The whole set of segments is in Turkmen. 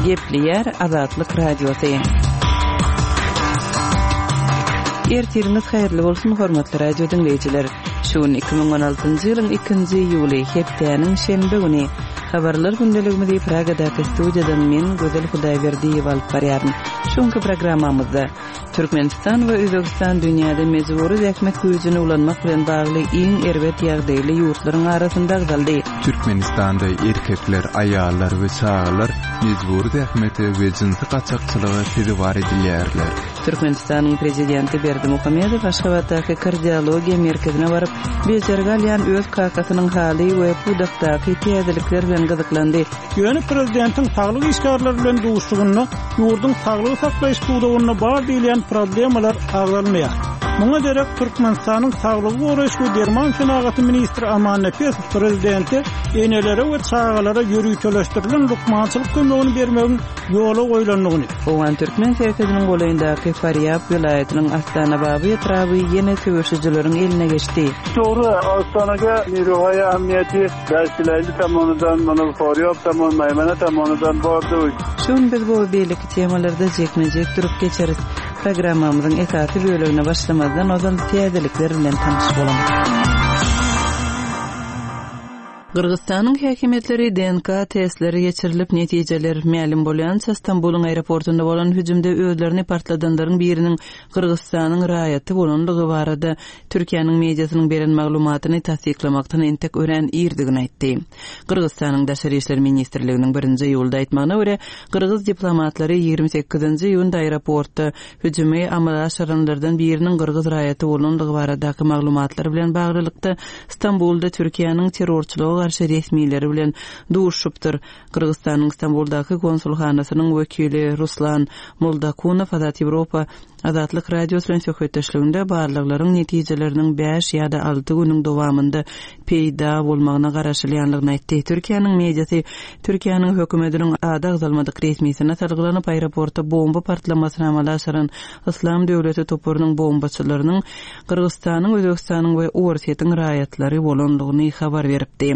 Gepleýär Azatlyk Radiosy. Ertiriňiz haýyrly bolsun, hormatly radio diňleýjiler. Şu gün 2016-njy ýylyň 2-nji iýuly, hepdäniň şenbe güni. Habarlar gündeligimizi Pragadaky studiýadan men, Gözel Hudaýberdiýewa alyp barýaryn. Şu günki programmamyzda Türkmenistan we Özbegistan dünýäde mejbury zähmet güýjüni ulanmak bilen bagly iň erbet ýagdaýly ýurtlaryň arasynda agzaldy. Türkmenistanda erkekler, aýallar we çagalar mejbury zähmete we jynsy gaçakçylyga sezewar edilýärler. Türkmenistanyň Prezidenti Berdimuhamedow Aşgabatdaky Kardiologiýa merkezine baryp, bejergi alýan öz kakasynyň haly we pudakdaky täzelikler bilen gyzyklandy. Ýöne prezidentiň saglyk işgärleri bilen duşuşygynda ýurduň saglygy saklaýyş pudagynda bar diýilýän problemalar agzalmaýar. Muňa derek Türkmenistanyň saglygy goraýyş we derman senagaty ministri Aman Nepesow prezidente enelere we çagalara ýöriteleşdirilen lukmançylyk kömegini bermegiň ýola goýlandygyny, Owgan-türkmen serhediniň golaýyndaky Farýab welaýatynyň Astanababy etraby ýene söweşijileriň eline geçdi. Dogry, Astanaga Niruhaýa Amniýeti Daşilaýly tomonydan, muny Forýob tomon, Maýmana tomonydan bordy. Şu gün biz bu we beýleki temalarda jikme-jik durup geçeris. Programmamyzyň esasy bölegine başlamazdan ozal täzelikler bilen tanyş boluň. Gyrgyzystanyň häkimiýetleri DNK testleri geçirilip, netijeler mälim bolýança Stambulyň aeroportunda bolan hüjümde özlerini partladanlaryň biriniň Gyrgyzystanyň raýaty bolandygy barada Türkiýäniň mediasynyň beren maglumatyny tassyklamakdan entek örän irdigini aýtdy. Gyrgyzystanyň Daşary işler ministrliginiň birinji iýulda aýtmagyna görä, gyrgyz diplomatlary 28-nji iýunda aeroportda hüjümi amala aşyranlardan biriniň gyrgyz raýaty bolandygy baradaky maglumatlar bilen baglylykda Stambulda Türkiýäniň terrorçylyga garşy resmileri bilen duşuşypdyr. Gyrgyzystanyň Stambuldaky konsulhanasynyň wekili Ruslan Moldakunow Azat Ýewropa Azatlyk Radiosy bilen söhbetdeşliginde barlaglaryň netijeleriniň bäş ýa-da alty günüň dowamynda peýda bolmagyna garaşylýandygyny aýtdy. Türkiýäniň mediasy Türkiýäniň hökümetiniň ady agzalmadyk resmisine salgylanyp, aeroportda bomba partlamasyny amala aşyran Yslam döwleti toparynyň bombaçylarynyň Gyrgyzystanyň, Özbegistanyň we Orsýetiň raýatlary bolandygyny habar beripdi.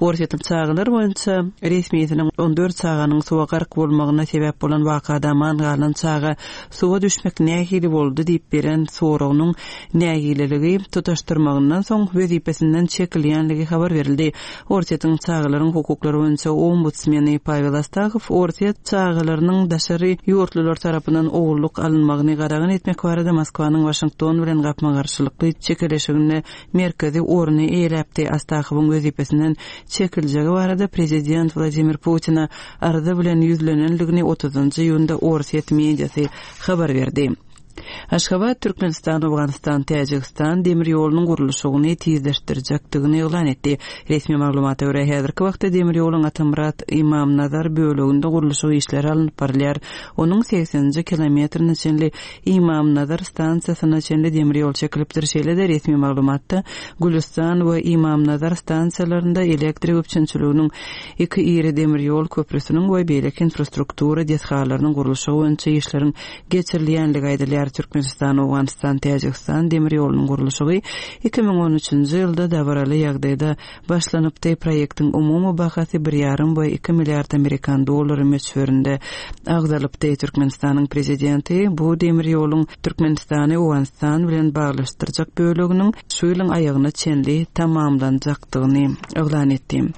Orsýetiň çagalar boýunça resmisiniň 14 çaganyň suwa gark bolmagyna sebäp bolan wakada aman galan çaga suwa düşmek nähili boldy diýip beren soragynyň nägileligi tutaşdyrmagyndan soň wezipesinden çekilýänligi habar berildi. Orsýetiň çagalaryň hukuklary boýunça ombudsmeni Pawel Astahow orsýet çagalarynyň daşary ýurtlular tarapyndan ogullyk alynmagyny gadagan etmek barada Moskwanyň Waşington bilen gapma-garşylykly çekeleşiginde merkezi orny eýeläpdi. Astahowyň wezipesinden çekiljegi barada prezident Wladimir Putine arza bilen ýüzlenendigini otuzynjy iýunda orsýet mediasy habar berdi. Aşgabat Türkmenistan, Owganystan, Täjigistan demir ýolunyň gurluşygyny tizleşdirjekdigini yglan etdi. Resmi maglumata görä, häzirki wagtda demir ýoluň Atamyrat, Ymamnazar böleginde gurluşyk işleri alnyp barylýar. Onuň segseninji kilometrine çenli Ymamnazar stansiýasyna çenli demir ýol çekilipdir. Şeýle-de resmi maglumatda Gülüstan we Ymamnazar stansiýalarynda elektrik üpjünçiliginiň iki iri demir ýol köprüsiniň we beýleki infrastruktura desgalarynyň gurluşygy boýunça işleriň geçirilýänligi aýdylýar. Türkmenistan, Owganystan, Täjigistan demir ýolunyň gurluşygy 2013-nji ýylda dabaraly ýagdaýda başlanypdy. Proýektiň umumy bahasy bir ýarym we iki milliard amerikan dollary möçberinde agzalypdy. Türkmenistanyň Prezidenti bu demir ýoluň Türkmenistany Owganystan bilen baglaşdyrjak böleginiň şu ýylyň aýagyna çenli tamamlanjakdygyny yglan etdi.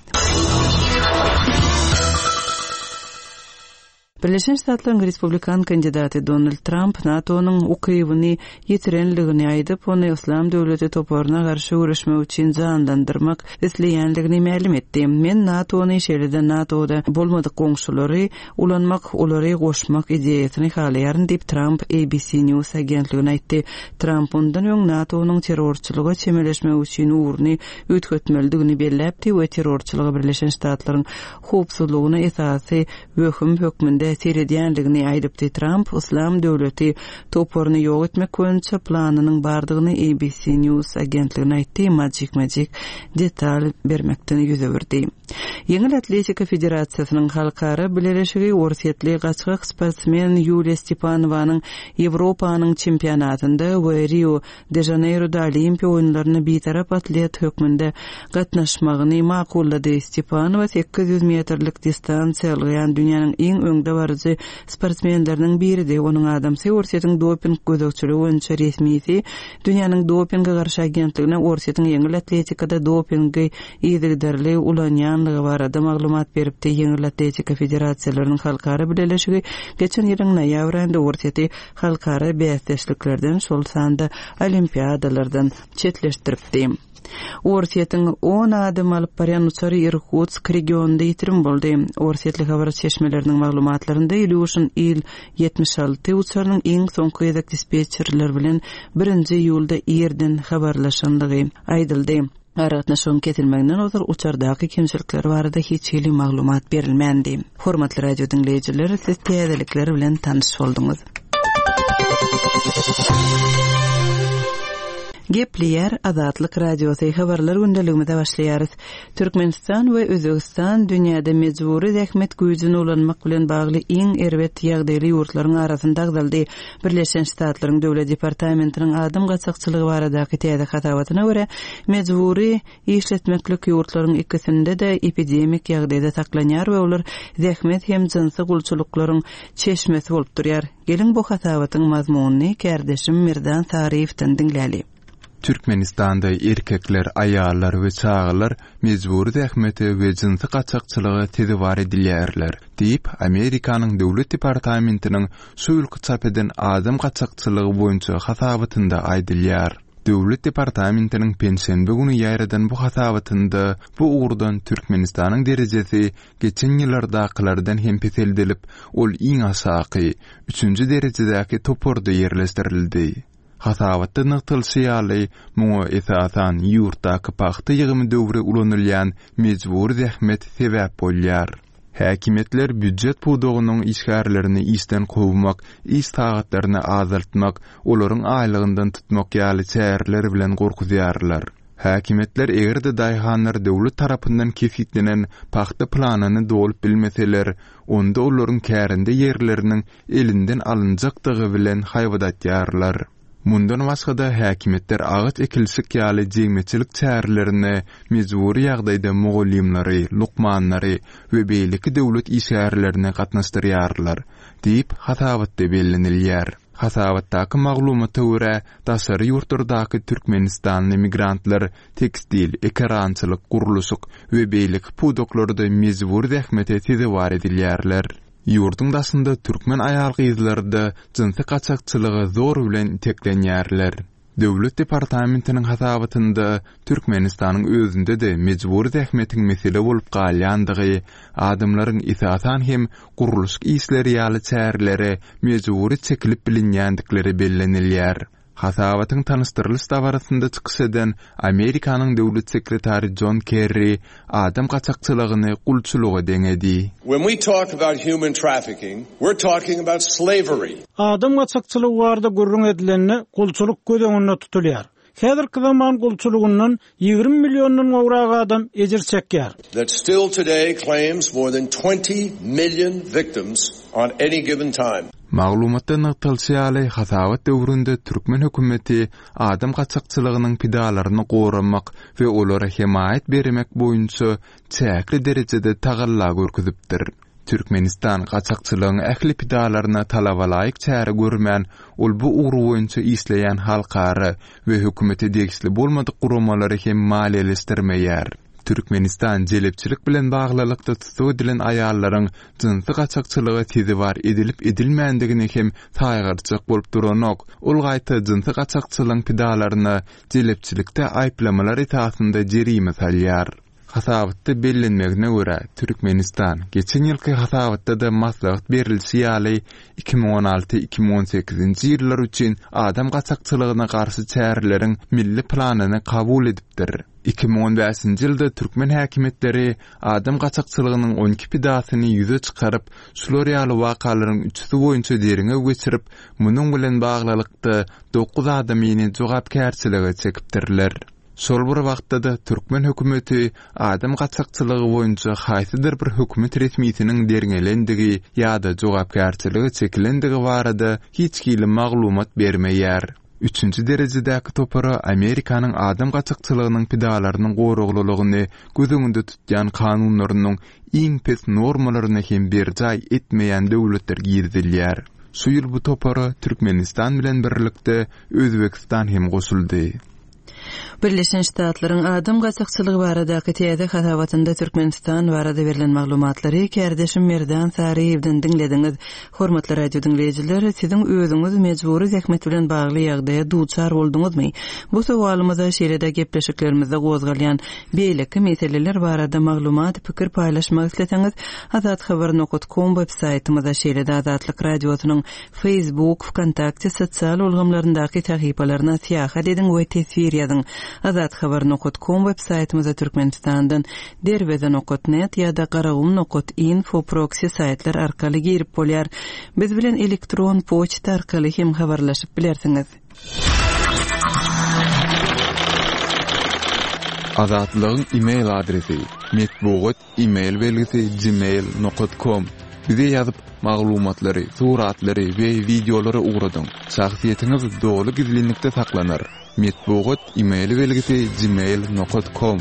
Birleşen Ştatlaryň respublikan kandidaty Donald Tramp NATO-nyň ukybyny ýitirenligini aýdyp, ony Yslam döwleti toparyna garşy göreşmek üçin janlandyrmak isleýänligini mälim etdi. Men NATO-ny, şeýle-de NATO-da bolmadyk goňşulary ulanmak, olary goşmak ideýasyny halaýaryn diýip, Tramp ABC News agentligine aýtdy. Tramp mundan öň NATO-nyň terrorçylyga çemeleşmek üçin ugruny üýtgetmelidigini belläpdi we terrorçylyga Birleşen Ştatlaryň howpsuzlygyna esasy wehim hökmünde seredýändigini aýdypdy. Tramp Yslam döwleti toparyny ýok etmek boýunça planynyň bardygyny ABC News agentligine aýtdy, emma jikme-jik detal bermekden ýüz öwürdi. Ýeňil atletika federasiýasynyň halkara bileleşigi orsýetli gaçgak sportsmen Ýuliýa Stepanowanyň Ýewropanyň çempionatynda we Rio, de Žaneýroda Olimpiýa oýunlaryna bitarap atlet hökmünde gatnaşmagyny makullady. Stepanowa 800 metrlik distansiýa ylgaýan dünýäniň iň öňdebaryjy sportsmenleriniň biridi. Onuň adamsy Orsýetiň doping gözegçiligi boýunça resmisi Dünýäniň dopinge garşy agentligine Orsýetiň ýeňil atletikada dopingi yzygiderli ulanýanlygy barada maglumat beripdi. Ýeňil atletika federasiýalarynyň halkara bileleşigi geçen ýylyň noýabr aýynda Orsýeti halkara bäsdeşliklerden, şol sanda olimpiadalardan çetleşdiripdi. Orsýetiň on adam alyp barýan uçary Irkutsk regionynda ýitirim boldy. Orsýetli habar çeşmeleriniň maglumatlarynda Ilýuşin Il-76 uçarynyň iň soňky gezek dispetçerler bilen birinji iýulda irden habarlaşandygy aýdyldy. Aragatnaşygyň kesilmeginden ozal uçardaky kemçilikler barada hiç hili maglumat berilmändi. Hormatly radio diňleýjiler, siz täzelikler bilen tanyş bolduňyz. Gepleýär Azatlyk Radiosy, Habarlar gündeligimize başlaýarys. Türkmenistan we Özbegistan dünýäde mejbury zähmet güýjüni ulanmak bilen bagly iň erbet ýagdaýly ýurtlaryň arasynda agzaldy. Birleşen Ştatlaryň Döwlet departamentiniň adam gaçakçylygy baradaky täze hasabatyna görä, mejbury işletmeklik ýurtlaryň ikisinde-de epidemik ýagdaýda saklanýar we olar zähmet hem jynsy gulçulyklaryň çeşmesi bolup durýar. Geliň bu hasabatyň mazmunyny kärdeşim Merdan Saryýewden diňläli. Türkmenistanda erkekler, aýallar we çagalar mejbury zähmete we jynsy gaçakçylyga sezewar edilýärler, diýip, Amerikanyň Döwlet departamentiniň şu ýylky çap eden adam gaçakçylygy boýunça hasabatynda aýdylýar. Döwlet departamentiniň penşenbe güni ýaýradan bu hasabatynda bu ugurdan Türkmenistanyň derejesi geçen ýyllardakylardan hem peseldilip, ol iň aşaky, üçünji derejedäki toparda ýerleşdirildi. Hasabatda nygtalyşy ýaly, muňa esasan ýurtdaky pagta ýygymy döwri ulanylýan mejbury zähmet sebäp bolýar. Häkimiýetler býujet pudagynyň işgärlerini işden kowmak, iş sagatlaryny azaltmak, olaryň aýlygyndan tutmak ýaly çäreler bilen gorkuzýarlar. Häkimiýetler eger-de daýhanlar döwlet tarapyndan kesgitlenen pagta planyny dolup bilmeseler, onda olaryň kärende ýerleriniň elinden alynjakdygy bilen haýbat atýarlar. Mundan başga-da, häkimiýetler agaç ekilişik ýaly jemgyýetçilik çärelerine mejbury ýagdaýda mugallymlary, lukmanlary we beýleki döwlet işgärlerini gatnaşdyrýarlar, diýip, hasabatda bellenilýär. Hasabatdaky maglumata görä, daşary ýurtlardaky türkmenistanly migrantlar tekstil, ekerançylyk, gurluşyk we beýleki pudaklarda mejbury zähmete sezewar edilýärler. Ýurduň daşynda türkmen aýal-gyzlary-da jynsy gaçakçylyga zor bilen iteklenýärler. Döwlet departamentiniň hasabatynda Türkmenistanyň özünde-de mejbury zähmetiň mesele bolup galýandygy, adamlaryň esasan hem gurluşyk işleri ýaly çärelere mejbury çekilip bilinýändikleri bellenilýär. Hasabatyň tanyşdyrylyş dabarasynda çykyş eden Amerikanyň döwlet sekretary Jon Kerri adam gaçakçylygyny gulçulyga deňedi. When we talk about human trafficking, we're talking about slavery. Adam gaçakçylygy barada gürrüň edilende, gulçulyk göz öňünde tutulýar. Häzirki zaman gulçulygyndan 20 milliondan gowrak adam ejir çekýär. That still today claims more than 20 million victims on any given time. Maglumatda nygtalyşy ýaly, hasabat döwründe türkmen hökümeti adam gaçakçylygynyň pidalaryny goramak we olara hemaýat bermek boýunça çäkli derejede tagalla görkezipdir. Türkmenistan gaçakçylygyň ähli pidalaryna talabalaýyk çäre görmän, ol bu ugur boýunça işleýän halkara we hökümete degişli bolmadyk guramalary hem maliýeleşdirmeýär. Türkmenistan jelepçilik bilen baglylykda tussag edilen aýallaryň jynsy gaçakçylyga sezewar edilip-edilmändigini hem saýgarjak bolup duranok, ol gaýta jynsy gaçakçylygyň pidalaryna jelepçilikde aýyplamalar esasynda jerime salýar. Hasabatda bellenmegine görä, Türkmenistan, geçen ýylky hasabatda-da maslahat berlişi ýaly, 2016, 2018-nji ýyllar üçin adam gaçakçylygyna garşy çäreleriň milli planyny kabul edipdir. 2015-nji ýylda türkmen häkimiýetleri adam gaçakçylygynyň 12 pidasyny ýüze çykaryp, şular ýaly wakalaryň üçüsi boýunça derňew geçirip, munuň bilen baglylykda, dokuz adamyny jogapkärçilige çekipdirler. Şol bir wagtda-da türkmen hökümeti adam gaçakçylygy boýunça haýsydyr bir hökümet resmisiniň derňelendigi ýa-da jogapkärçilige çekilendigi barada hiç hili maglumat bermeýär. Üçünji derejedäki topara Amerikanyň adam gaçakçylygynyň pidalarynyň goraglylygyny göz öňünde tutýan kanunlarynyň iň pes normalaryny hem berjaý etmeýän döwletler girizilýär. Şu ýyl bu topara Türkmenistan bilen birlikde Özbegistan hem goşuldy. Birleşen Ştatlaryň adam gaçakçylygy baradaky täze hasabatynda Türkmenistan barada berlen maglumatlary kärdeşim Merdan Saryýewden diňlediňiz. Hormatly radio diňleýjiler, siziň özüňiz mejbury zähmet bilen bagly ýagdaýa duçar bolduňyzmy? Bu sowalymyza şeýle-de gepleşiklerimizde gozgalýan beýleki meseleler barada maglumat, pikir paýlaşmak isleseňiz, azathabar nokat kom web saýtymyza şeýle-de Azatlyk Radiosynyň Facebook, Wkontakte sosial ulgamlaryndaky sahypalaryna syýahat ediň we teswir ýazyň. Azathabar nokat kom web saýtymyza Türkmenistandan Derweze nokat net ýa-da Garagum nokat info proksi saýtlar arkaly girip bolýar. Biz bilen elektron poçta arkaly hem habarlaşyp bilersiňiz. Azatlygyň e-mail adresi, metbugat e-mail belgisi gmail nokat kom Bize ýazyp, maglumatlary, suratlary we wideolary ugradyň. Şahsyýetiňiz doly gizlinlikde saklanar. Metbugat e-mail belgisi gmail nokat kom.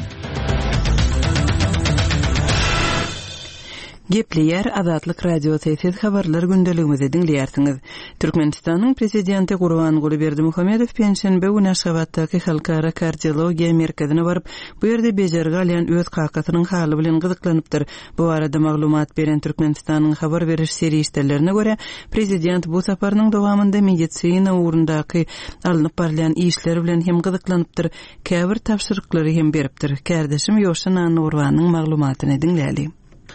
Gepleýär Azatlyk Radiosy, siz habarlar gündeligimizi diňleýärsiňiz. Türkmenistanyň Prezidenti Gurbanguly Berdimuhamedow penşenbe güni Aşgabatdaky Halkara kardiologiýa merkezine baryp, bu ýerde bejergi alýan öz kakasynyň haly bilen gyzyklanypdyr. Bu barada maglumat beren Türkmenistanyň habar beriş serişdelerine görä, prezident bu saparynyň dowamynda medisina ugrundaky alnyp barylýan işler bilen hem gyzyklanypdyr, käbir tabşyryklary hem beripdir. Kärdeşim Ýowşan Annagurbanyň maglumatyny diňläli.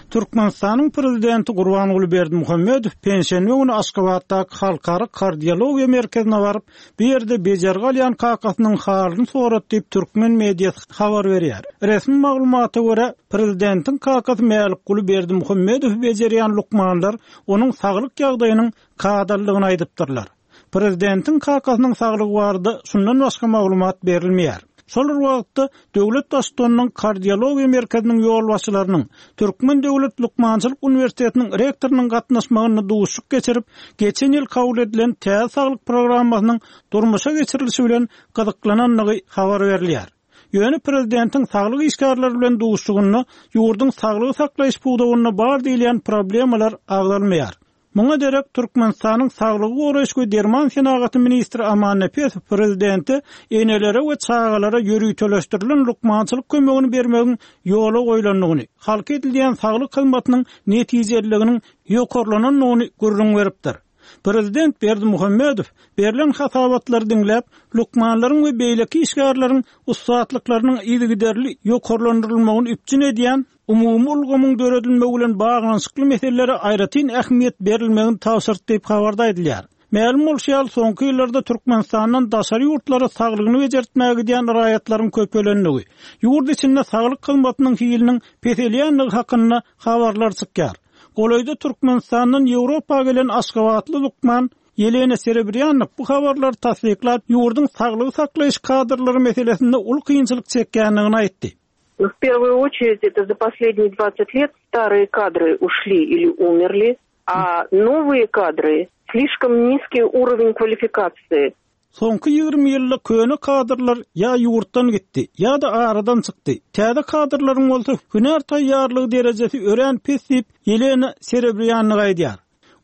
Türkmenistanyň Prezidenti Gurbanguly Berdimuhamedow penşenbe güni Aşgabatdaky Halkara kardiologiýa merkezine baryp, bu ýerde bejergi alýan kakasynyň halyny sorady diýip, türkmen mediasy habar berýär. Resmi maglumata görä, prezidentiň kakasy Mälikguly Berdimuhamedowy bejerýän lukmanlar onuň saglyk ýagdaýynyň kadalydygyny aýdypdyrlar. Prezidentiň kakasynyň saglygy barada şundan başga maglumat berilmeýär. Şol bir wagtda, döwlet Baştutanynyň Kardiologiýa merkeziniň ýolbaşçylarynyň, Türkmen döwlet lukmançylyk uniwersitetiniň rektorynyň gatnaşmagynda duşuşyk geçirip, geçen ýyl kabul edilen täze saglyk programmasynyň durmuşa geçirilişi bilen gyzyklanandygy habar berilýär. Ýöne prezidentiň saglyk işgärleri bilen duşuşygynda ýurduň saglygy saklaýyş pudagynda bar diýilýän problemalar agzalmaýar. Muňa derek, Türkmenistanyň Saglygy goraýyş we derman senagaty ministri Aman Nepesow prezidente enelere we çagalara ýöriteleşdirilen lukmançylyk kömegini bermegiň ýola goýlandygyny, halka edilýän saglyk hyzmatynyň netijeliliginiň ýokarlanandygyny gürrüň beripdir. Prezident Berdimuhamedow berlen hasabatlary diňläp, lukmanlaryň we beýleki işgärleriň ussatlyklarynyň yzygiderli ýokarlandyrylmagyny üpjün edýän Umumy ulgamyň döredilmegi bilen baglanyşykly meselelere aýratyn ähmiýet berilmegini tabşyrdy diýip, habarda aýdylýar. Mälim bolşy ýaly, soňky ýyllarda Türkmenistandan daşary ýurtlara saglygyny bejertmäge gidýän raýatlaryň köpelendigi, ýurt içinde saglyk hyzmatynyň hiliniň peselýändigi hakynda habarlar çykýar. Golaýda Türkmenistandan Ýewropa gelen aşgabatly lukman Ýelena Serebrýannik bu habarlary tassyklap, ýurduň saglygy saklaýyş kadrlary meselesinde uly kynçylyk çekýändigini aýtdy. В первую очередь это за последние 20 лет старые кадры ушли или умерли, а новые кадры слишком низкий уровень квалификации. Soňky 20 ýylda köne kadrlar ýa ýurtdan gitdi, ýa-da aradan çykdy. Täze kadrlaryň bolsa hünär taýýarlygy derejesi örän pes diýip, Ýelena Serebrýannik aýdýar.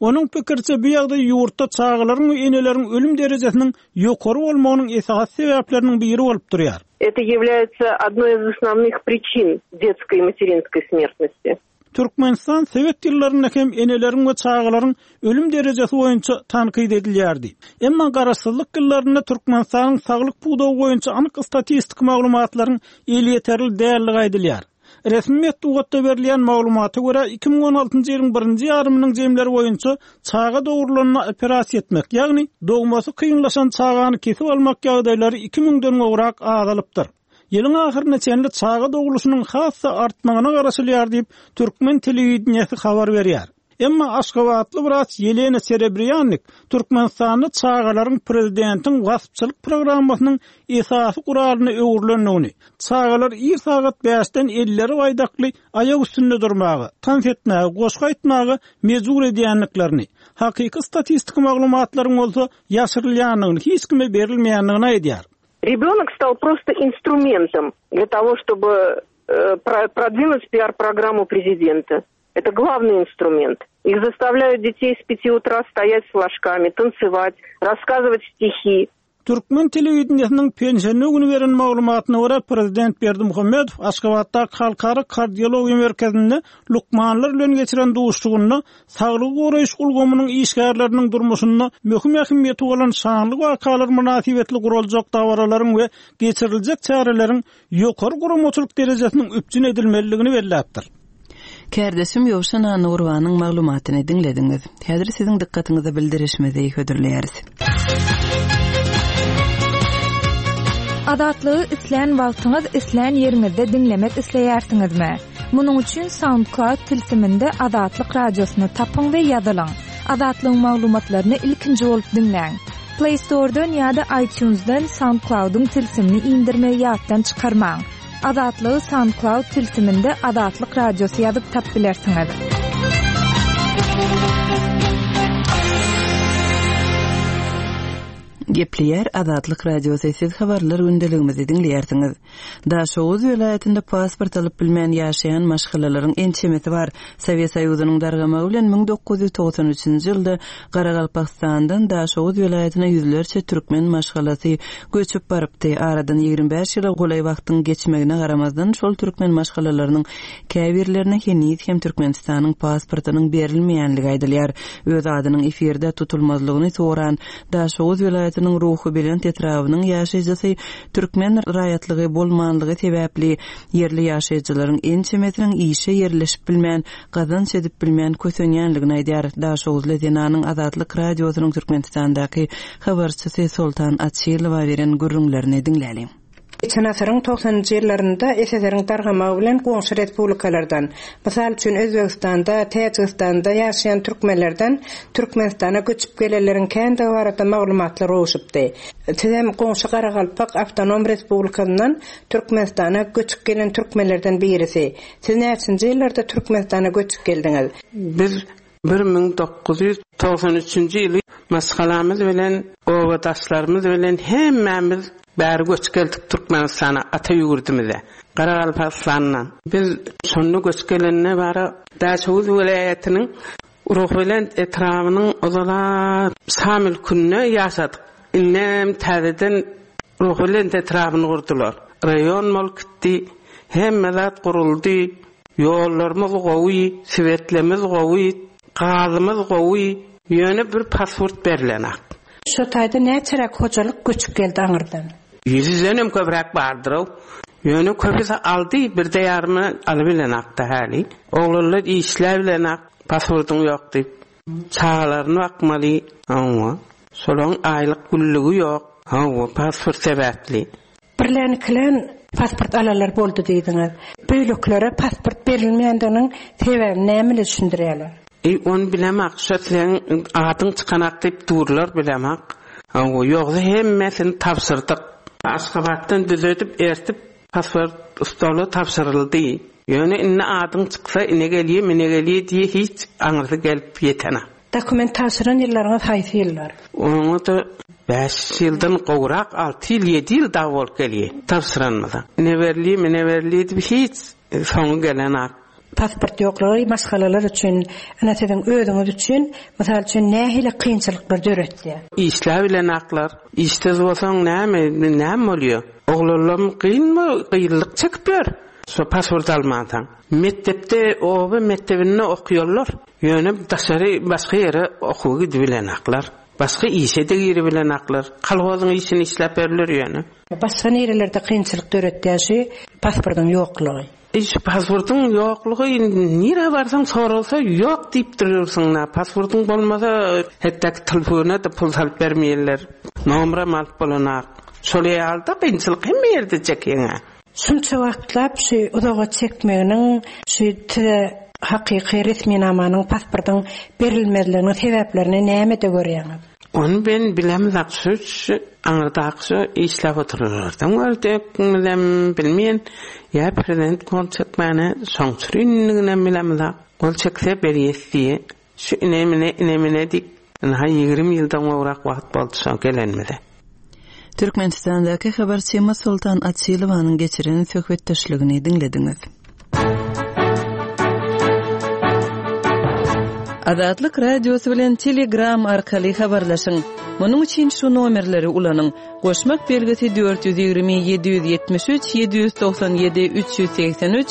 Onuň pikiriçe, bu ýagdaý ýurtda çagalaryň we eneleriň ölüm derejesiniň ýokary bolmagynyň esasy sebäpleriniň biri bolup durýar. Это является одной из основных причин детской и материнской смертности. Türkmenistan sowet ýyllarynda hem eneleriň we çagalaryň ölüm derejesi boýunça tankyt edilýärdi. Emma garaşsyzlyk ýyllarynda Türkmenistanyň saglyk pudagy boýunça anyk statistiki maglumatlaryň elýeterli däldigi aýdylýar. Resmi metbugatda berilýän maglumata görä, 2016-njy ýylyň birinji ýarymynyň jemleri boýunça çaga dogrulanda operasiýa etmek, ýagny dogmasy kynlaşan çagany kesip almak ýagdaýlary iki müňden gowrak azalypdyr. Ýylyň ahyryna çenli çaga dogluşynyň has-da artmagyna garaşylýar diýip, türkmen telewideniýesi habar berýär. Emma aşgabatly wraç Ýelena Serebrýannik Türkmenistanda çagalaryň prezidentiň waspçylyk programmasynyň esasy guralyna öwrülendigini, çagalar ir sagat bäşden elleri baýdakly aýak üstünde durmaga, tans etmäge, goşgy aýtmaga mejbur edýändiklerini, hakyky statistiki maglumatlaryň bolsa ýaşyrylýandygyny, hiç kime berilmeýändigini aýdýar. Ребенок стал просто инструментом для того, чтобы э, продвинуть пиар-программу президента. Это главный инструмент. Их заставляют детей с пяти утра стоять с флажками, танцевать, рассказывать стихи. Türkmen telewideniýesiniň penşenbe güni beren maglumatyna görä, prezident Berdimuhamedow Aşgabatdaky Halkara kardiologiýa merkezinde lukmanlar bilen geçiren duşuşygynda saglygy goraýyş ulgamynyň işgärleriniň durmuşynda möhüm ähmiýeti bolan şanly wakalar mynasybetli guraljak dabaralaryň we geçiriljek çäreleriň ýokary guramaçylyk derejesiniň üpjün edilmelidigini belläpdir. Kärdeşim Ýowşan Annagurbanyň maglumatyny diňlediňiz. Häzir siziň dykgatyňyza bildirişimizi hödürleýäris. Azatlygy islän wagtyňyz, islän ýeriňizde diňlemek isleýärsiňizmi? Munuň üçin SoundCloud tilsiminde Azatlyk Radiosyny tapyň we ýazylyň. Azatlygyň maglumatlaryny ilkinji bolup diňläň. Play Store-dan ýa-da iTunes-dan SoundCloud-yň tilsimini indirmegi ýatdan çykarmaň. Azatlygy SoundCloud tilsiminde Azatlyk Radiosy ýazyp tap bilersiňiz. Gepleýär Azatlyk Radiosy siz habarlar gündeligimizi diňleýärsiňiz. Daşoguz welaýatynda pasport alyp bilmän ýaşaýan maşgalalaryň ençemesi bar. Sowet Soýuzynyň dargamagy bilen 1993-nji ýylda Garagalpagystandan Daşoguz welaýatyna ýüzlerçe türkmen maşgalasy göçüp barypdy. Aradan 25 ýyla golaý wagtyň geçmegine garamazdan, şol türkmen maşgalalarynyň käbirlerine heniz hem Türkmenistanyň pasportynyň berilmeýänligi aýdylýar. Öz adynyň efirde tutulmazlygyny soran Daşoguz welaýatynyň Ruhubelent etrabynyň ýaşaýjysy türkmen raýatlygy bolmanlygy sebäpli ýerli ýaşaýjylaryň ençemesiniň işe ýerleşip bilmän, gazanç edip bilmän kösenýänligini aýdýar. Daşoguzly zenanyň Azatlyk Radiosynyň Türkmenistandaky habarçysy Soltan Açylowa beren gürrüňlerini diňläliň. Geçen asyryň togsanynjy ýyllarynda SSR-iň dargamagy bilen goňşy respublikalardan, mysal üçin, Özbegistanda, Täjigistanda ýaşaýan türkmenlerden Türkmenistana göçüp gelenleriň kändigi barada maglumatlar gowşupdy. Sizem goňşy Garagalpak awtonom respublikasyndan Türkmenistana göçüp gelen türkmenlerden birisi. Siz näçinji ýyllarda Türkmenistana göçüp geldiňiz? Biz 1993-nji ýyly maşgalamyz bilen, obadaşlarymyz bilen hemmämiz bäri göçüp geldik Türkmenistana, ata ýurdumyza, Garagalpagystandan. Biz şonda göçüp gelende bara Daşoguz welaýatynyň Ruhubelent etrabynyň ozala Şa mülkünde ýaşadyk. Indem täzeden Ruhubelent etrabyny gurdular. Raýon bolup gitdi. Hemme zat guruldy. Ýollarymyz gowy, swetlemiz gowy, gazymyz gowy. Ýöne bir pasport berlenak. Şo taýda näçeräk hojalyk göçüp geldi aňyrdan? Ýüzdenem köpräk bardyr-ow. Ýöne köpüsi aldy, birde ýarymy alybilenakda häli. Oglanlar işläbilenak, pasportyň ýok diýip. Çagalaryny bakmaly. Hawa. Şolaryň aýlyk günlügi ýok. Hawa, pasport sebäpli. Birlän-ikilän pasport alanlar boldy diýdiňiz. Beýlekilere pasport berilmeýändiginiň sebäbini näme bilen düşündirýärler? Eý, ony bilemok, şo seň adyň çykanak diýip durlar bilemok. Hawa, ýogsa hemmesini tabşyrdyk. Aşgabatdan düzedip ertip pasport stola tabşyryldy. Ýöne indi adyň çyksa ine gelýe, mine gelýe diýe hiç aňyrsy gelip ýetenak. Dokument tabşyran ýyllaryňyz haýsy ýyllar? Oňa-da bäş ýyldan gowrak, alty ýyl, ýedi ýyl dagy bolup gelýär tabşyranymyza. Ine berilýär, mine berilýär diýip hiç soňy gelenak. Pasport ýoklugy maşgalalar üçin, ine siziň özüňiz üçin, mysal üçin, nähili kynçylyklar döretýär? Işläbilenaklar. Işsiz bolsaň näme, näme bolýar? Oglanlam kynmy, kynlyk çekip ýör. Şo pasport almansoň. Mekdepde, oba mekdebinde okaýarlar. Ýöne daşary başga ýere okuwa gidibilenaklar. Başga işe-de giribilenaklar. Kolhozyň işini işläp berler ýöne. Başga nirelerde kynçylyk döretýär şu pasportyň ýoklugy? Eý şu pasportyň ýoklugy nirä barsaň soralsa ýok diýip durýarsyň-da. Pasportyň bolmasa hetdaki telefona-da pul salyp bermeýärler. Nomeram alyp bolanak. Şol ýaly-da kynçylyk hemme ýerde çekýäň-ä. Şunça wagtlap şu uzaga çekmeginiň şu size. Hakyky resminamanyň, pasportyň berilmezliginiň sebäplerini nämede görýäňiz? Ony men bilemzok, şu şu aňyrdaky şu işläp oturanlardan gördükmizem bilmeýän, ýa prezident gol çekmäne şoň üçindiginem bilemzok. Gol çekse berýäs diýe. Şu ine-mine, ine-mine diýip, ynha 20 ýyldan gowrak wagt boldy şo gelenimize. Türkmenistandaky habarçymyz Soltan Açylowanyň geçiren söhbetdeşligini diňlediňiz. Azatlyk Radiosy bilen Telegram arkaly habarlaşyň. Munuň üçin şu nomerleri ulanyň, goşmak belgisi 420 773 797 383,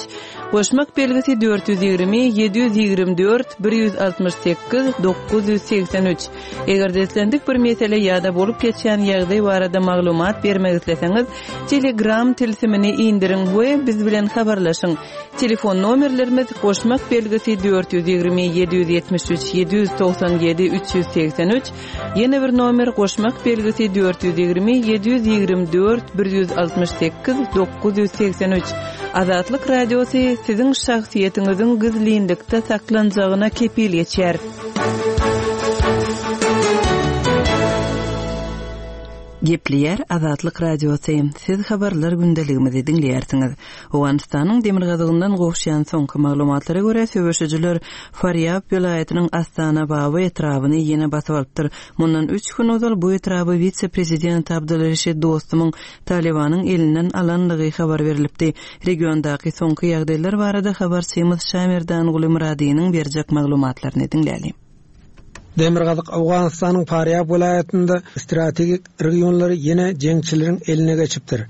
goşmak belgisi 420 724 168 983. Eger-de islendik bir mesele ýa-da bolup geçýän ýagdaý barada maglumat bermek isleseňiz, Telegram tilsimini indiriň we biz bilen habarlaşyň. Telefon nomerlerimiz, goşmak belgisi 420 773 797 383, ýene bir nomer goşmak belgisi 420 724 168 983. Azatlyk Radiosy siziň şahsyýetiňiziň gizlinlikde saklanjagyna kepil geçýär. Gepleýär Azatlyk Radiosy, Siz habarlar gündeligimizi diňleýärsiňiz. Owganystanyň demirgazygyndan gowuşýan soňky maglumatlara görä, söweşijiler Farýab welaýatynyň Astana-Baba etrabyny ýene basyp alypdyr. Mundan üç gün ozal bu etraby wise-prezident Abdulreşid Dostumyň Talybanyň elinden alanlygy habar berlipdi. Regiondaky soňky ýagdaýlar barada habarçymyz Şamerdanguly Myradynyň berjek maglumatlaryny diňläli. Demirgazyk Owganystanyň Farýab welaýatynda strategik regionlary ýene jeňçileriň eline geçipdir.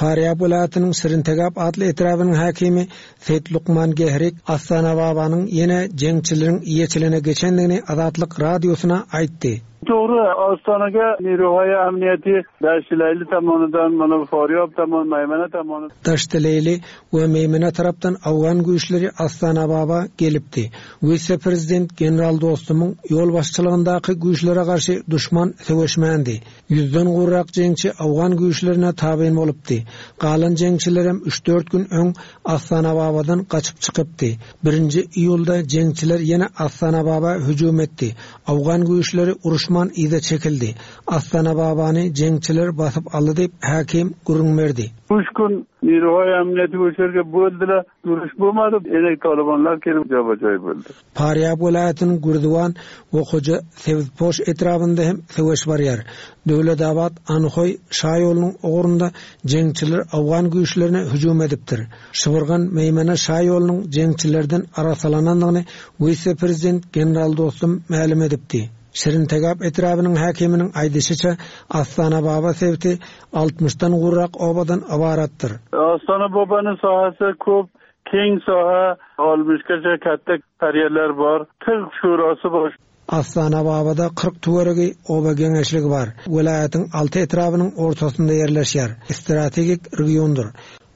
Farýab welaýatynyň Şirintegap atly etrabynyň häkimi Seýit Lukman Gehrik Astanababanyň ýene jeňçileriň eýeçiligine geçendigini Azatlyk Radiosyna aýtdy. Dogry, Astanaga Niruhaýa amniýeti Daştileýli tomonidan, mana Farýab tomon, Maýmena tomoni. Daştileýli we Meýmene tarapdan owgan güýçleri Astanababa gelipdi. Wise-prezident general Dostumyň ýolbaşçylygyndaky güýçlere garşy duşman söweşmändi. Ýüzden gowrak jeňçi owgan güýçlerine tabyn bolupdy. Galan jeňçilerem üç-dört gün öň Astanababadan gaçyp çykypdy. Birinji iýulda jeňçiler ýene Astanababa hüjüm etdi. Owgan güýçleri uruşman yza çekildi. Astanababany jeňçiler basyp aldy diýip, häkim gürrüň berdi. Üç gün Niruhaý amniýeti goşerge böldüler. Uruş bolmady, enek talybanlar gelip joba-joý boldy. Farýab welaýatynyň Gürziwan we Hoja Sebzpoş etrabynda hem söweş barýar. Döwletabat, Anhoý şaýolunyň ugrunda jeňçiler owgan güýçlerine hüjüm edipdir. Şybyrgan, Meýmene şaýolunyň jeňçilerden arassalanandygyny wise-prezident general Dostum mälim edipdi. Şirintegap etrabynyň häkiminiň aýdyşyça, Astanababa sebiti altmyşdan gowrak obadan ybaratdyr. Astanababanyň sahasy köp, Keň saha olmuşgaça katta karýerler bar. Tyg şurasy bar. Astanababada 40 töweregi oba geňeşligi bar. Welaýatyň alty etrabynyň ortasynda ýerleşýär. Strategik regiondyr.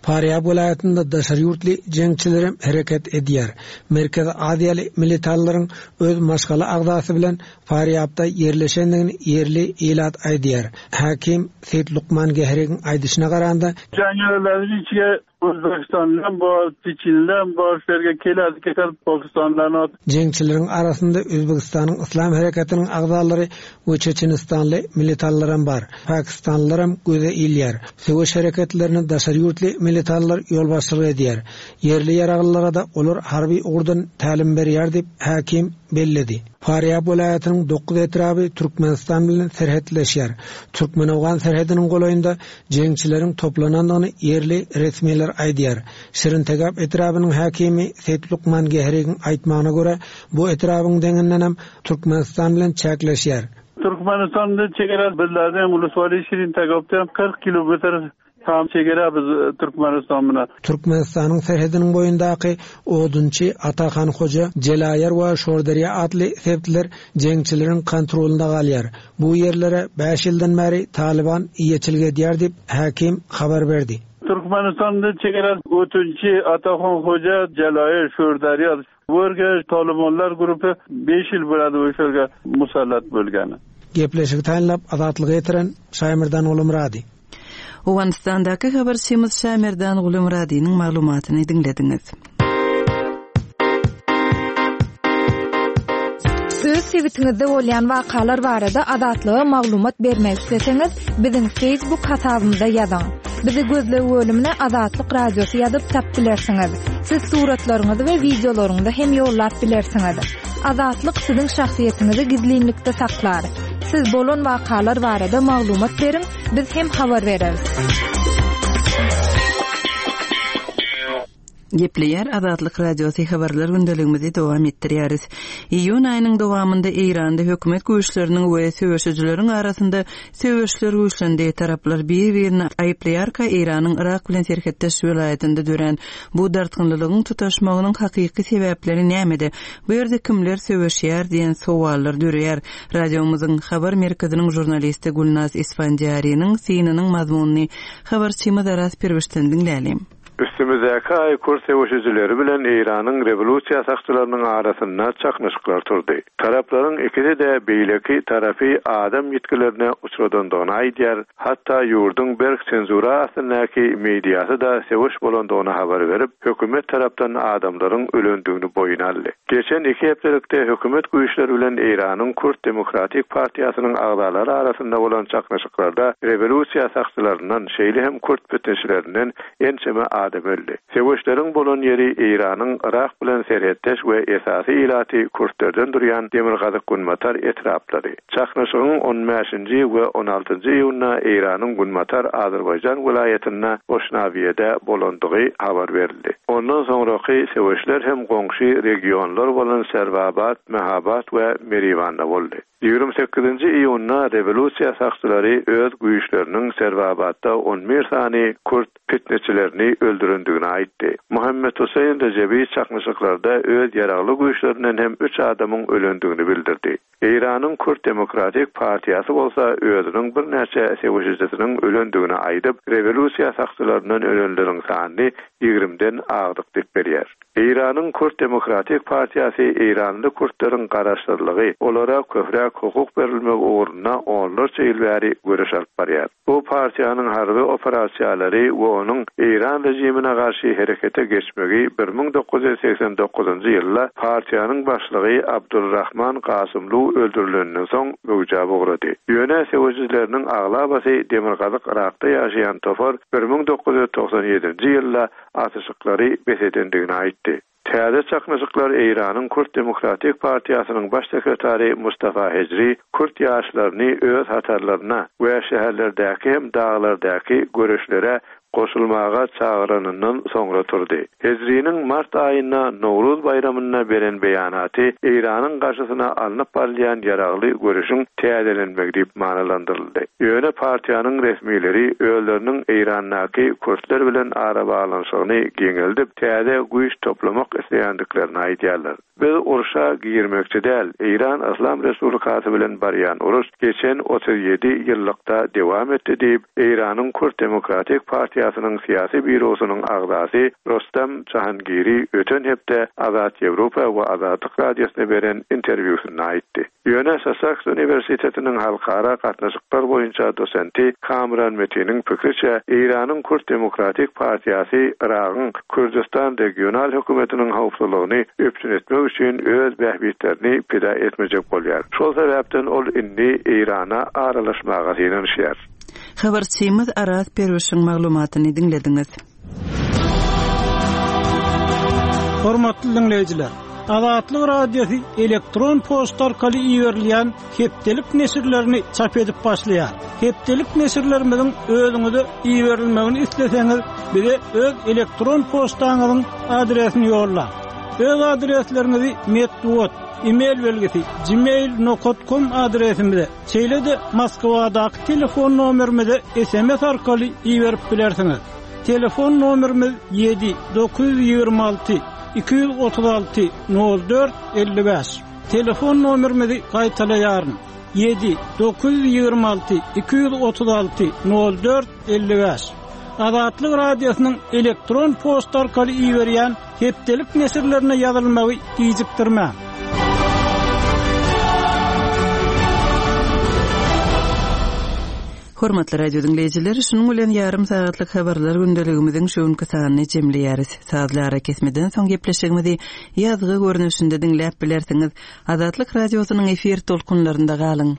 Farýab welaýatynda daşary ýurtly jeňçilerem hereket edýär. Merkezi Aziýaly militallaryň öz maşgala agzasy bilen Farýabda ýerleşendigini ýerli ilat aýdýar. Häkim Seýit Lukman Gehrigiň aýdyşyna garanda, Jangerlerniň içige Özbegistanlym bar, çeçenlem bar, şu ýerge keledi ketedi pakistanlylarny atyp. Jeňçileriň arasynda Özbegistanyň Yslam hereketiniň agzalary we çeçenistanly militanlaram bar. Pakistanlylaram göze ilýär. Söweş hereketlerine daşary ýurtly militanlar ýolbaşçylyk edýär. Ýerli ýaraglylara-da olar harby ugurdan tälim berýär diýip, häkim belledi. Farýab welaýatynyň dokuz etraby Türkmenistan bilen serhetleşýär. Türkmen-owgan serhediniň golaýynda jeňçileriň toplanandygyny ýerli resmiler aýdýar. Şirintegap etrabynyň häkimi Seýit Lukman Gehrigiň aýtmagyna görä, bu etrabyň deňindenem Türkmenistan bilen çäkleşýär. Türkmenistanda çegara bizlerden Uluswaly Şirintegapdan 40 kilometr tam çegara biz Türkmenistan bilen. Türkmenistanyň serhediniň boýundaky Odunçy, Atahan hoja, Jelaýar we Şorderýa atly sebitler jeňçileriň kontrolynda galýar. Bu ýerlere bäş ýyldan bäri Talyban eýeçilik edýär diýip, häkim habar berdi. Türkmenistanda çegara Ötünçi, Atahan hoja, Jelaýar, Şorderýa bu ýerge Talybanlar grupy beş ýyl bolady bu ýerge musallat bolgany. Gepleşigi taýynlap Azatlyga ýetiren Şaýmerdan Gulumyrady. Owganystandaky habarçymyz Şamerdan Gulumyradynyň maglumatyny diňlediňiz. Öz sebitiňizde bolýan wakalar barada Azatlyga maglumat bermek isleseňiz, biziň Facebook hasabymyza ýazyň. Bizi gözleg bölümine Azatlyk Radiosy ýazyp tap bilersiňiz. Siz suratlaryňyzy we wideolaryňyzy hem ýollap bilersiňiz. Azatlyk siziň şahsyýetiňizi gizlinlikde saklar. Siz bolan wakalar barada maglumat beriň, biz hem habar bereris. Gepleýär Azatlyk Radiosy habarlar gündeligimizi dowam etdirýäris. Iýun aýynyň dowamynda Eýranda hökümet güýçleriniň we söweşijileriň arasynda söweşler güýçlendi. Taraplar bir-birini aýyplaýarka Eýranyň Yrak bilen serhetdeş welaýatynda dörän bu dartgynlylygyň tutaşmagynyň hakyky sebäpleri nämede? Bu ýerde kimler söweşýär diýen sowallar döreýär. Radiomyzyň habar merkeziniň žurnalisti Gülnaz Isfandiýariniň synynyň mazmunyny habarçymyz Araz Pirwişden diňläliň. Üstümizdäki aý kürt söweşijileri bilen Eýranyň rewolýusiýa sakçylarynyň arasynda çaknyşyklar turdy. Taraplaryň ikisi-de beýleki tarapy adam ýitgilerine uçradandygyny aýdýar, hatda ýurduň berk senzura astyndaky mediasy-da söweş bolandygyny habar berip, hökümet tarapdan adamlaryň ölendigini boýun aldy. Geçen iki hepdelikde hökümet güýçleri bilen Eýranyň Kürt demokratik partiýasynyň agzalary arasynda bolan çaknyşyklarda rewolýusiýa sakçylaryndan, şeýle hem kürt pitneçilerinden ençeme adam öldi. Söweşleriň bolan ýeri Eýranyň Yrak bilen serhetdeş we esasy ilaty kürtlerden durýan demirgazyk-günbatar etraplary. Çaknyşygyň on bäşinji we on altynjy iýunda Eýranyň Günbatar Azerbaýjan welaýatynda Oşnawiýede bolandygy habar berildi. Ondan soňraky söweşler hem goňşy regionlar bolan Serwabat, Mehabat we Meriwanda boldy. 28-nji iýunda rewolýusiýa sakçylary öz güýçleriniň Serwabatda on bir sany kürt pitneçilerini öldürendigini aýtdy. Muhammet Huseýn Rejebi çaknyşyklarda öz ýaragly güýçlerinden hem üç adamyň ölendigini bildirdi. Eýranyň Kürt demokratik partiýasy bolsa özüniň birnäçe söweşijisiniň ölendigini aýdyp, rewolýusiýa sakçylaryndan ölenleriň sanyny ýigrimden agdyk diýip berýär. Eýranyň Kürt demokratik partiýasy eýranly kürtleriň garaşsyzlygy, olara köpräk hukuk berilmegi ugrunda onlarça ýyl bäri göreş alyp barýar. Bu partiýanyň harby operasiýalary we onuň Eýran režimine garşy herekete geçmegi 1989-njy ýylda partiýanyň başlygy Abdulrahman Gasymlu öldürilenden soň möwjäp ugrady. Ýöne söweşijileriniň aglabasy demirgazyk Yrakda ýaşaýan topar 1997-nji ýylda atyşyklary bes edendigini aýtdy. Täze çaknyşyklar Eýranyň Kürt demokratik partiýasynyň baş sekretary Mustafa Hejri kürt ýaşlaryny öz hatarlaryna we şäherlerdäki hem daglardaky göreşlere goşulmaga çagyranyndan soňra turdy. Hejriniň mart aýynda Nowruz baýramynda beren beýanaty Eýranyň garşysyna alnyp barylýan ýaragly göreşiň täzelenmegi diýip manylandyryldy. Ýöne partiýanyň resmileri özleriniň Eýrandaky kürtler bilen arabaglanyşygyny giňeldip, täze güýç toplamak isleýändiklerini aýdýarlar. Biz urşa girmekçi däl, Eýran Yslam Respublikasy bilen barýan uruş geçen 37 ýyllykda dewam etdi diýip, Eýranyň Kürt demokratik partiýasynyň syýasy býurosynyň agzasy Rostam Jahangiri öten hepde Azat Ýewropa we Azatlyk Radiosyna beren interwýusynda aýtdy. Ýöne Sassaks uniwersitetiniň halkara gatnaşyklar boýunça dosenti Kamran Metiniň pikriçe, Eýranyň Kürt demokratik partiýasy Yragyň Kürdüstan regional hökümetiniň howpsuzlygyny üpjün etmek üçin öz bähbitlerini pida etmejek bolýar. Şol sebäpden ol indi Eýrana aralaşmaga synanyşýar. Habarçymyz Araz Perwişiň maglumatyny diňlediňiz. Hormatly diňleýjiler! Azatlyk Radiosy elektron poçta arkaly iberilýän hepdelik neşirlerini çap edip başlaýar. Hepdelik neşirlerimiziň özüňize iberilmegini isleseňiz, bize öz elektron poçtaňyzyň adresini ýollaň. Öz adresleriňizi metbugat, e-mail belgisi, gmail nokat kom adresimize, şeýle-de Moskwadaky telefon nomerimize sms arkaly iberip bilersiňiz. Telefon nomerimiz 7 926 236 04 55. Telefon nomerimizi gaýtalaýaryn. 7 926 236 04 55. Azatlyk Radiosynyň elektron poçta arkaly iberýän hepdelik neşirlerine ýazylmagy gijikdirmäň. Hormatly radio diňleýjiler, şunuň bilen ýarym sagatlyk habarlar gündeligimiziň şu günki sanyny jemleýäris. Sazly arakesmeden soň gepleşigimizi ýazgy görnüşinde diňläp bilersiňiz. Azatlyk Radiosynyň efir tolkunlarynda galyň!